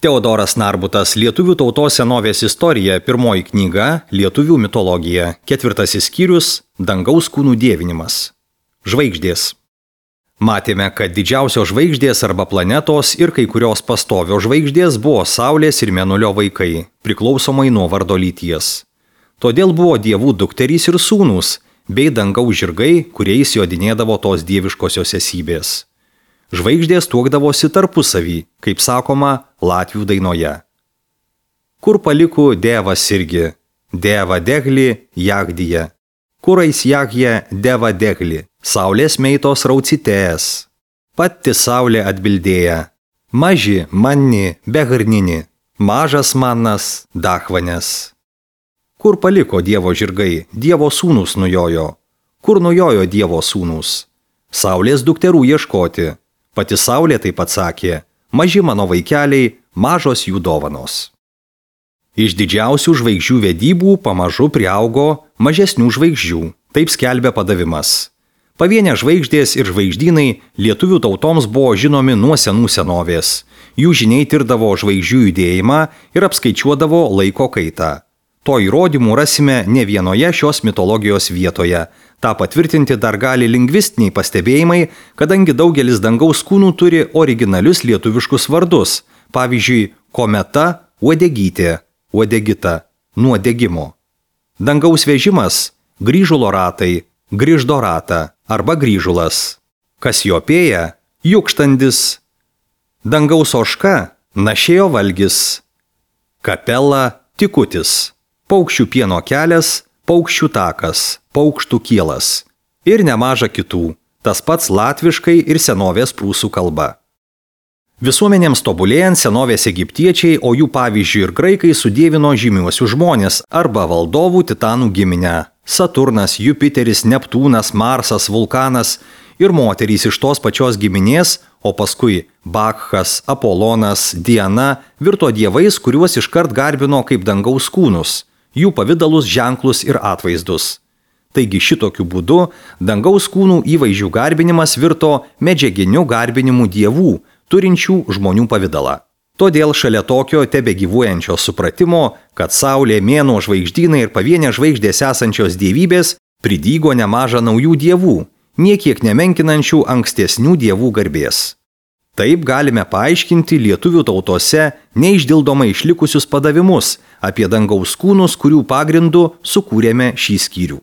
Teodoras Narbutas, Lietuvių tautos senovės istorija, 1 knyga, Lietuvių mitologija, 4 skyrius, dangaus kūnų dievinimas. Žvaigždės. Matėme, kad didžiausios žvaigždės arba planetos ir kai kurios pastovios žvaigždės buvo Saulės ir Mėnulio vaikai, priklausomai nuo vardo lyties. Todėl buvo dievų dukterys ir sūnūs, bei dangaus žirgai, kuriais jodinėdavo tos dieviškosios esybės. Žvaigždės tuokdavosi tarpusavį, kaip sakoma latvių dainoje. Kur paliko Dievas irgi, Dieva degli jagdyje. Kurais jagje Dieva degli, saulės meitos raucitėjas. Pati saulė atbildėja, maži manni begarnini, mažas manas dachvanės. Kur paliko Dievo žirgai, Dievo sūnus nujojo. Kur nujojo Dievo sūnus? Saulės dukterų ieškoti. Pati saulė taip atsakė, maži mano vaikeliai, mažos jų dovanos. Iš didžiausių žvaigždžių vedybų pamažu priaugo mažesnių žvaigždžių, taip skelbia padavimas. Pavienės žvaigždės ir žvaigždynai lietuvių tautoms buvo žinomi nuo senų senovės. Jų žiniai tirdavo žvaigždžių judėjimą ir apskaičiuodavo laiko kaitą. To įrodymų rasime ne vienoje šios mitologijos vietoje. Ta patvirtinti dar gali lingvistiniai pastebėjimai, kadangi daugelis dangaus kūnų turi originalius lietuviškus vardus, pavyzdžiui, kometa, uodegytė, uodegita, nuo degimo. Dangaus vežimas, grįžulo ratai, grįždo ratą arba grįžulas. Kasiopėja, jukštandis. Dangaus ožka, našėjo valgis. Kapela, tikutis. Paukščių pieno kelias, paukščių takas, paukštų kielas. Ir nemaža kitų, tas pats latviškai ir senovės prūsų kalba. Visuomenėms tobulėjant senovės egiptiečiai, o jų pavyzdžiui ir graikai sudievino žymiuosius žmonės arba valdovų titanų giminę. Saturnas, Jupiteris, Neptūnas, Marsas, Vulkanas ir moterys iš tos pačios giminės, o paskui Bakhas, Apolonas, Diana virto dievais, kuriuos iškart garbino kaip dangaus kūnus, jų pavidalus, ženklus ir atvaizdus. Taigi šitokiu būdu dangaus kūnų įvaizdžių garbinimas virto medžiaginiu garbinimu dievų, turinčių žmonių pavidalą. Todėl šalia tokio tebegyvuojančio supratimo, kad saulė, mėnuo, žvaigždynai ir pavienės žvaigždės esančios dievybės pridygo nemaža naujų dievų, niekiek nemenkinančių ankstesnių dievų garbės. Taip galime paaiškinti lietuvių tautose neišdildomai išlikusius padavimus apie dangaus kūnus, kurių pagrindu sukūrėme šį skyrių.